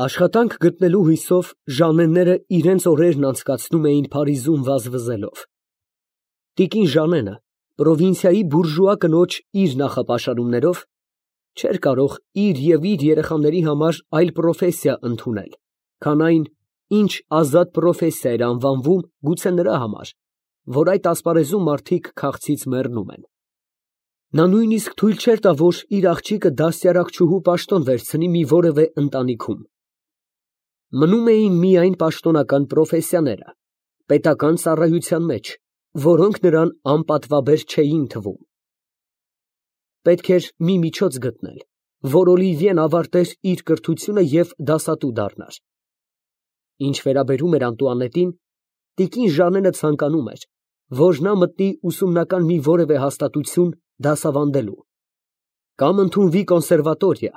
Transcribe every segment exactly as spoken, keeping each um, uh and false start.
Աշխատանք գտնելու հույսով Ժաննենները իրանց օրերն անցկացնում էին Փարիզում վազվզելով։ Տիկին Ժաննենը, պրովինցիայի բուրժուա կնոջ իր նախապաշարումներով, չէր կարող իր և իր երեխաների համար այլ պրոֆեսիա ընդունել, քան այն, ինչ ազատ պրոֆեսիա էր անվանվում գուցե նրա համար, որ այդ ասպարեզում մարդիկ քաղցից մեռնում են։ Նա նույնիսկ թույլ չէր տա, որ իր աղջիկը դաստիարակչուհու պաշտոն վերցնի մի որևէ ընտանիքում։ Մնում էին միայն պաշտոնական պրոֆեսիաները, պետական ծառայության մեջ, որոնք նրան անպատվաբեր չէին թվում։ Պետք էր մի միջոց գտնել, որ Օլիվիեն ավարտեր իր կրթությունը և դասատու դառնար։ Ինչ վերաբերում էր Անտուանետին, տիկին Ժաննենը ցանկանում էր, որ նա մտնի ուսումնական մի որևէ հաստատություն դասավանդելու, կամ ընդունվի կոնսերվատորիա,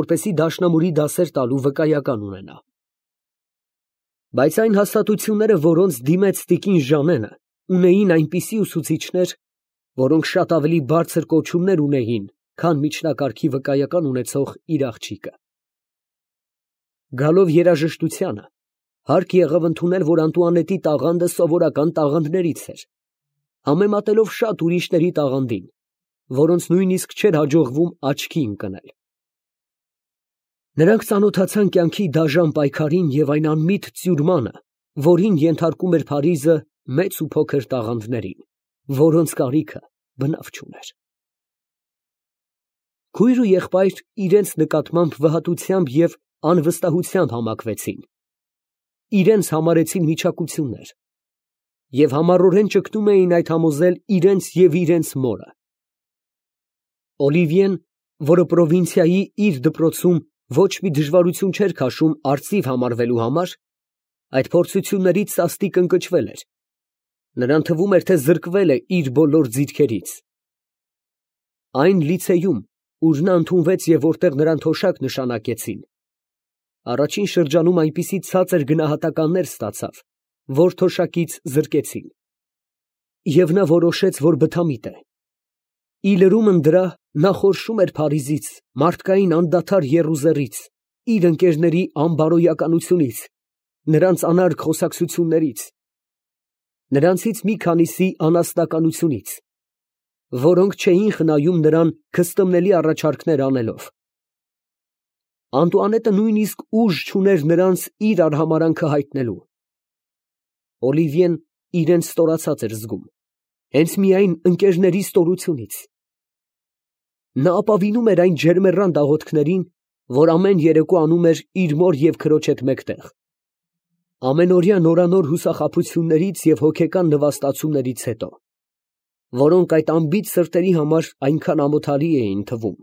որպեսզի դաշնամուրի դասեր տալու վկայական ունենա։ Բայց այն հաստատությունները, որոնց դիմեց տիկին Ժաննենը, ունեին այնպիսի ուսուցիչներ, որոնք շատ ավելի բարձր կոչումներ ունեին, քան միջնակարգի վկայական ունեցող իր աղջիկը։ Գալով երաժշտությանը, հարկ եղավ ընդունել, որ Անտուանետի տաղանդը սովորական տաղանդներից էր, համեմատելով շատ ուրիշների տաղանդին, որոնց նույնիսկ չէր հաջողվում աչքի ընկնել։ Նրանք ծանոթացան կյանքի դաժան պայքարին և այն անմիտ ծյուրմանը, որին ենթարկում էր Փարիզը մեծ ու փոքր տաղանդներին, որոնց կարիքը բնավ չուներ։ Քույր ու եղբայր իրենց նկատմամբ վհատությամբ և անվստահությամբ համակվեցին, իրենց համարեցին միջակություններ և համառորեն ճգնում էին այդ համոզել իրենց և իրենց մորը։ Օլիվիեն, որը պրովինցիայի իր դպրոցում ոչ մի դժվարություն չէր քաշում արծիվ համարվելու համար, այդ փորձություններից սաստիկ ընկճվել էր, նրան թվում էր, թե զրկվել է իր բոլոր ձիրքերից։ Այն լիցեյում, ուր նա ընդունվեց և որտեղ նրան թոշակ նշանակեցին, առաջին շրջանում այնպիսի ցածր գնահատականներ ստացավ, որ թոշակից զրկեցին, և նա որոշեց, որ բթամիտ է։ Ի լրումն դրա, նա խորշում էր Փարիզից, մարդկային անդադար եռուզեռից, իր ընկերների անբարոյականությունից, նրանց անարգ խոսակցություններից, նրանցից մի քանիսի անասնականությունից, որոնք չէին խնայում նրան քստմնելի առաջարկներ անելով։ Անտուանետը նույնիսկ ուժ չուներ նրանց իր արհամարհանքը հայտնելու։ Օլիվիեն իրեն ստորացած էր զգում, հենց միայն ընկերների ստորությունից։ Նա ապավինում էր այն ջերմեռան աղոթքներին, որ ամեն երեկո անում էր իր մոր և քրոջ հետ մեկտեղ, ամենօրյա նորանոր հուսախաբություններից և հոգեկան նվաստացումներից հետո, որոնք այդ անբիծ սրտերի համար այնքան ամոթալի էին թվում,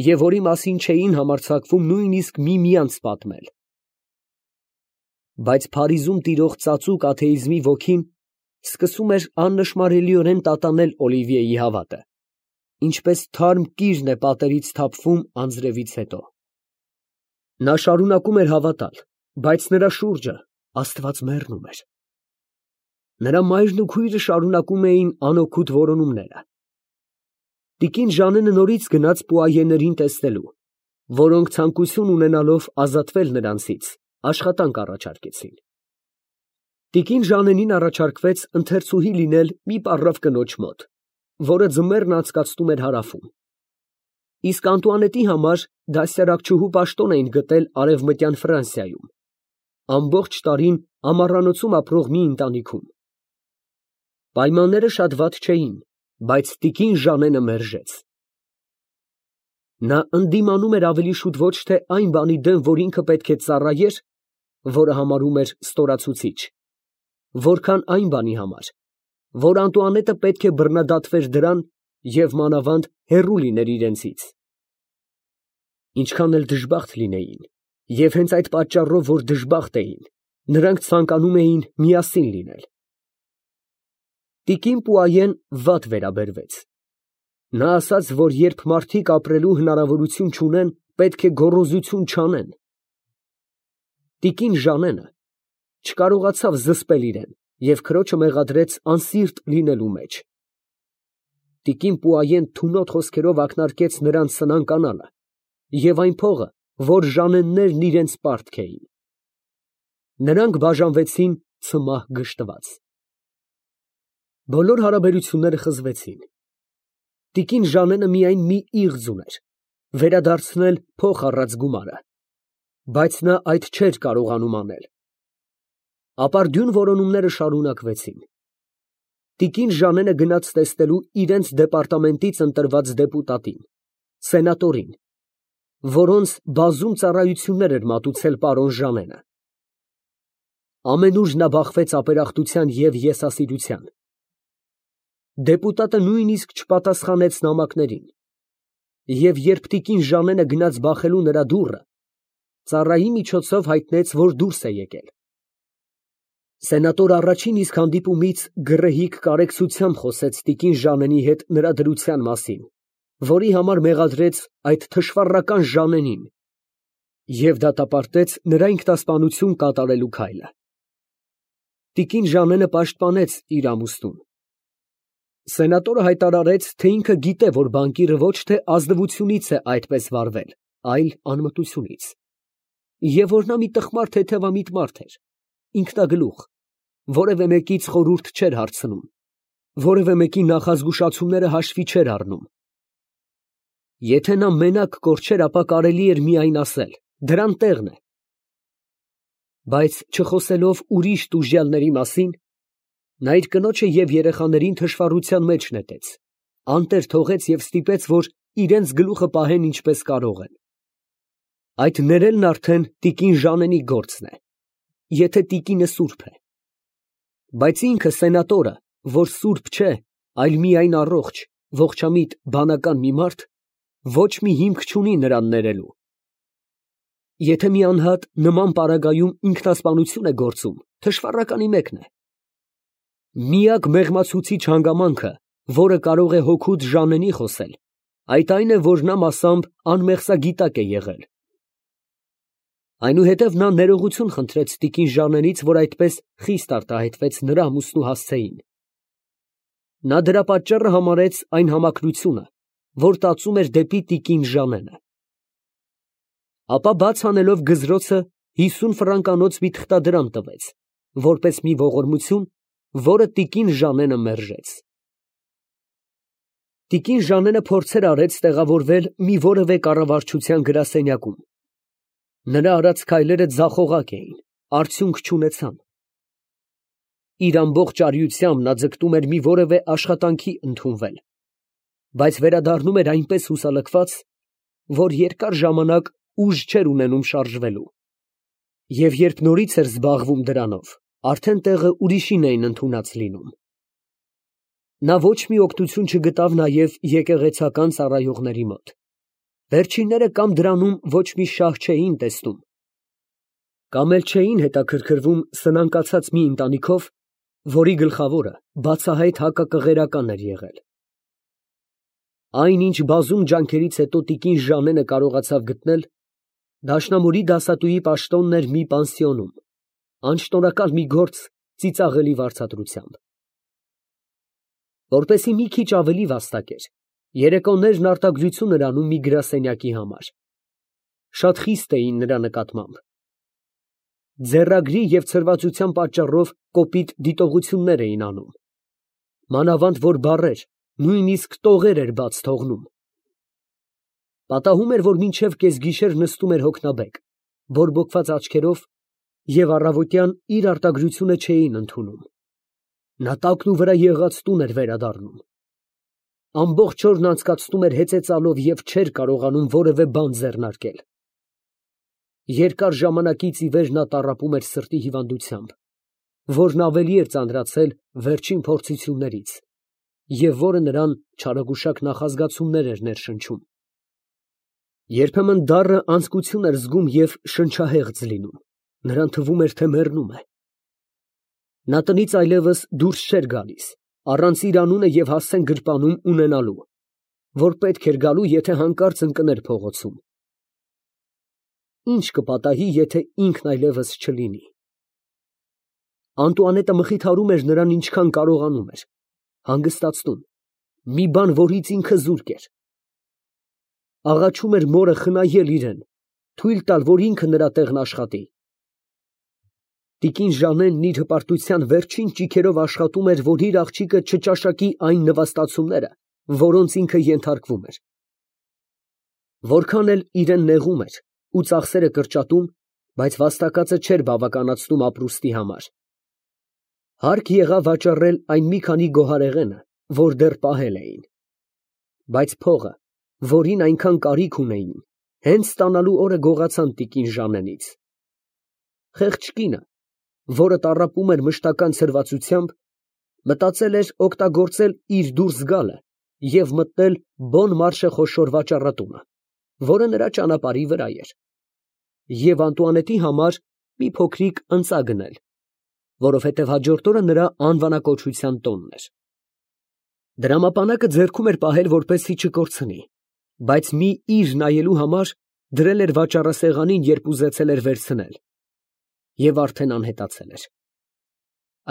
և որի մասին չէին համարձակվում նույնիսկ միմյանց պատմել։ Բայց Փարիզում տիրող ծածուկ աթեիզմի ոգին սկսում էր աննշմարելիորեն տատանել Օլիվիեի հավատը, ինչպես թարմ կիրն է պատերից թափվում անձրևից հետո։ Նա շարունակում էր հավատալ, բայց նրա շուրջը Աստված մեռնում էր։ Նրա մայրն ու քույրը շարունակում էին անօգուտ որոնումները։ Տիկին Ժաննենը նորից գնաց պուայեներին տեսնելու, որոնք ցանկություն ունենալով ազատվել նրանցից, աշխատանք առաջարկեցին։ Տիկին Ժաննենին առաջարկվեց ընթերցուհի լինել մի պառավ կնոջ մոտ, որը ձմեռն անցկացնում էր հարավում, իսկ Անտուանետի համար դաստիարակչուհու պաշտոն էին գտել Արևմտյան Ֆրանսիայում, ամբողջ տարին ամառանոցում ապրող մի ընտանիքում։ Պայմանները շատ վատ չէին, բայց տիկին Ժաննենը մերժեց։ Նա ընդդիմանում էր ավելի շուտ ոչ թե այն բանի դեմ, որ ինքը պետք է ծառայեր, որը համարում էր ստորացուցիչ, որքան այն բանի համար, որ Անտուանետը պետք է բռնադատվեր դրան և մանավանդ հեռու լիներ իրենցից։ Ինչքան էլ դժբախտ լինեին, և հենց այդ պատճառով, որ դժբախտ էին, նրանք ցանկանում էին միասին լինել։ Տիկին Պուայեն վատ վերաբերվեց։ Նա ասաց, որ երբ մարդիկ ապրելու հնարավորություն չունեն, պետք է գոռոզություն չանեն։ Տիկին Ժաննենը չկարողացավ զսպել իրեն և քրոջը մեղադրեց անսիրտ լինելու մեջ։ Տիկին Պուայեն թունոտ խոսքերով ակնարկեց նրան սնանկ անալը և այն փողը, որ Ժանեններն իրենց պարտք էին։ Նրանք բաժանվեցին ցմահ գժտված։ Բոլոր հարաբերությունները խզվեցին։ Տիկին Ժանենը միայն մի իղձ ուներ՝ վերադարձնել փող առած գումարը, բայց նա այդ չէր կարողանում անել։ Ապարդյուն որոնումները շարունակվեցին։ Տիկին Ժանենը գնաց տեսնելու իրենց դեպարտամենտից ընտրված դեպուտատին, սենատորին, որոնց բազում ծառայություններ էր մատուցել պարոն Ժանենը։ Ամենուր նա բախվեց ապերախտության և եսասիրության։ Դեպուտատը նույնիսկ չպատասխանեց նամակներին, և երբ տիկին Ժանենը գնաց բախելու նրա դուռը, ծառայի միջոցով հայտնեց, որ դուրս է եկել։ Սենատորը առաջին իսկ հանդիպումից գռեհիկ կարեկցությամբ խոսեց տիկին Ժանենի հետ նրա դրության մասին, որի համար մեղադրեց այդ թշվառական Ժանենին և դատապարտեց նրա ինքնասպանություն կատարելու քայլը։ Տիկին Ժանենը պաշտպանեց իր ամուսնուն։ Սենատորը հայտարարեց, թե ինքը գիտե, որ բանկիրը ոչ թե ազնվությունից է այդպես վարվել, այլ անմտությունից, և որ նա մի տխմար թեթևամիտ մարդ էր, ինքնագլուխ, որևէ մեկից խորհուրդ չէր հարցնում, որևէ մեկի նախազգուշացումները հաշվի չէր առնում։ Եթե նա մենակ կորչեր, ապա կարելի էր միայն ասել. դրան տեղն է։ Բայց չխոսելով ուրիշ տուժյալների մասին, նա իր կնոջը և երեխաներին թշվառության մեջ նետեց, անտեր թողեց և ստիպեց, որ իրենց գլուխը պահեն ինչպես կարող են։ Այդ ներելն արդեն տիկին Ժանենի գործն է, եթե տիկինը սուրբ է։ Բայց ինքը սենատորը, որ սուրբ չէ, այլ միայն առողջ, ողջամիտ, բանական մի մարդ, ոչ մի հիմք չունի նրան ներելու։ Եթե մի անհատ նման պարագայում ինքնասպանություն է գործում, թշվառականի մեկն է։ Միակ մեղմացուցիչ հանգամանքը, որը կարող է հոգուց Ժանենի խոսել, այդ այն է, որ նա մասամբ անմեղսագիտակ է եղել։ Այնուհետև նա ներողություն խնդրեց տիկին Ժանենից, որ այդպես խիստ արտահայտվեց նրա ամուսնու հասցեին։ Նա դրա պատճառը համարեց այն համակրությունը, որ տածում էր դեպի տիկին Ժանենը։ Ապա բաց անելով գզրոցը հիսուն ֆրանկանոց մի թղթադրամ տվեց, որպես մի ողորմություն, որը տիկին Ժանենը մերժեց։ Տիկին Ժանենը փորձեր արեց տեղավորվել մի որևէ կառավարչության գրասենյակում։ Նրա արած քայլերը ձախողակ էին, արդյունք չունեցան։ Իր ամբողջ արիությամբ նա ձգտում էր մի որևէ աշխատանքի ընդունվել, բայց վերադառնում էր այնպես հուսալքված, որ երկար ժամանակ ուժ չէր ունենում շարժվելու, և երբ նորից էր զբաղվում դրանով, արդեն տեղը ուրիշին էին ընդունած լինում։ Նա ոչ մի օգնություն չգտավ նաև եկեղեցական ծառայողների մոտ։ Վերջինները կամ դրանում ոչ մի շահ չէին տեսնում, կամ էլ չէին հետաքրքրվում սնանկացած մի ընտանիքով, որի գլխավորը բացահայտ հակակղերական էր եղել։ Այն, ինչ բազում ջանքերից հետո տիկին Ժանենը կարողացավ գտնել, դաշնամուրի դասատուի պաշտոնն էր մի պանսիոնում, անշնորհակալ մի գործ ծիծաղելի վարձատրությամբ։ Որպեսզի մի քիչ ավելի վաստակեր, երեկոներն արտագրություն էր անում մի գրասենյակի համար։ Շատ խիստ էին նրա նկատմամբ։ Ձեռագրի և ցրվածության պատճառով կոպիտ դիտողություններ էին անում։ Մանավանդ որ բառեր, նույնիսկ տողեր էր բաց թողնում։ Պատահում էր, որ մինչև կեսգիշեր նստում էր հոգնաբեկ, բորբոքված աչքերով, և առավոտյան իր արտագրությունը չէին ընդունում։ Նա տակն ու վրա եղած տուն էր վերադառնում։ Ամբողջ օրն անցկացնում էր հեծեծալով և չէր կարողանում որևէ բան ձեռնարկել։ Երկար ժամանակից ի վեր նա տառապում էր սրտի հիվանդությամբ, որն ավելի էր ծանրացել վերջին փորձություններից, և որը նրան չարագուշակ նախազգացումներ էր ներշնչում։ Երբեմն դառը անձկություն էր զգում և շնչահեղձ լինում, նրան թվում էր, թե մեռնում է։ Նա տնից այլևս դուրս չէր գալիս, առանց իր անունը և հասցեն գրպանում ունենալու, որ պետք էր գալու, եթե հանկարծ ընկներ փողոցում։ Ի՞նչ կպատահի, եթե ինքն այլևս չլինի։ Անտուանետը մխիթարում էր նրան ինչքան կարողանում էր, հանգստացնում, մի բան, որից ինքը զուրկ էր։ Աղաչում էր մորը խնայել իրեն, թույլ տալ, որ ինքը նրա տեղն աշխատի։ Տիկին Ժանենն իր հպարտության վերջին ճիգերով աշխատում էր, որ իր աղջիկը չճաշակի այն նվաստացումները, որոնց ինքը ենթարկվում էր։ Որքան էլ իրան նեղում էր ու ծախսերը կրճատում, բայց վաստակածը չէր բավականացնում ապրուստի համար։ Հարկ եղավ վաճառել այն մի քանի գոհարեղենը, որ դեռ պահել էին։ Բայց փողը, որին այնքան կարիք ունեին, հենց ստանալու օրը գողացան տիկին Ժանենից։ Խեղճ կինը, որը տառապում էր մշտական ցրվածությամբ, մտածել էր օգտագործել իր դուրս գալը և մտնել Բոն Մարշե խոշոր վաճառատունը, որը նրա ճանապարհի վրա էր, և Անտուանետի համար մի փոքրիկ ընծա գնել, որովհետև հաջորդ օրը նրա անվանակոչության տոնն էր։ Դրամապանակը ձեռքում էր պահել, որպեսզի չկորցնի, բայց մի իր նայելու համար դրել էր վաճառասեղանին, երբ ուզեցել էր վերցնել, և արդեն անհետացել էր։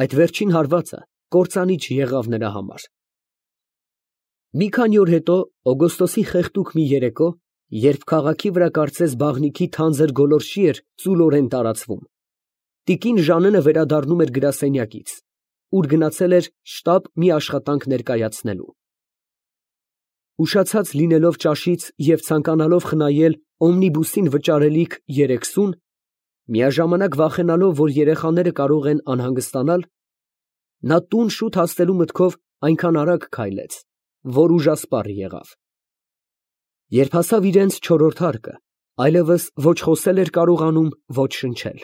Այդ վերջին հարվածը կործանիչ եղավ նրա համար։ Մի քանի օր հետո, օգոստոսի խեղդուկ մի երեկո, երբ քաղաքի վրա կարծես բաղնիքի թանձր գոլորշի էր ծուլորեն տարածվում, տիկին Ժանենը վերադառնում էր գրասենյակից, ուր գնացել էր շտապ մի աշխատանք ներկայացնելու։ Ուշացած լինելով ճաշից և ցանկանալով խնայել օմնիբուսին վճարելիք երեք սուն, միաժամանակ վախենալով, որ երեխաները կարող են անհանգստանալ, նա տուն շուտ հասնելու մտքով այնքան արագ քայլեց, որ ուժասպառ եղավ։ Երբ հասավ իրենց չորրորդ հարկը, այլևս ոչ խոսել էր կարողանում, ոչ շնչել։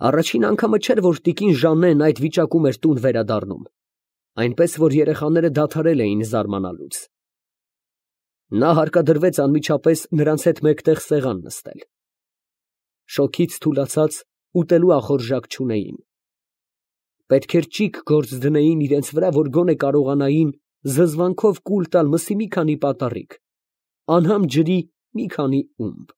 Առաջին անգամը չէր, որ տիկին Ժաննեն այդ վիճակում էր տուն վերադառնում, այնպես որ երեխաները դադարել էին զարմանալուց։ Նա հարկադրվեց անմիջապես նրանց հետ մեկտեղ սեղան նստել։ Շոգից թուլացած, ուտելու ախորժակ չունեին։ Պետք էր ճիգ գործ դնեին իրենց վրա, որ գոնե կարողանային զզվանքով կուլ տալ մսի մի քանի պատառիկ, անհամ ջրի մի քանի ումբ։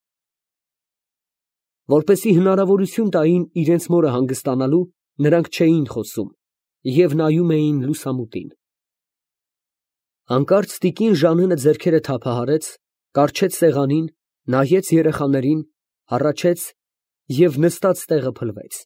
Որպեսզի հնարավորություն տային իրենց մորը հանգստանալու, նրանք չէին խոսում և նայում էին լուսամուտին։ Հանկարծ տիկին Ժանենը ձեռքերը թափահարեց, կառչեց սեղանին, նայեց երեխաներին, հառաչեց և նստած տեղը փլվեց։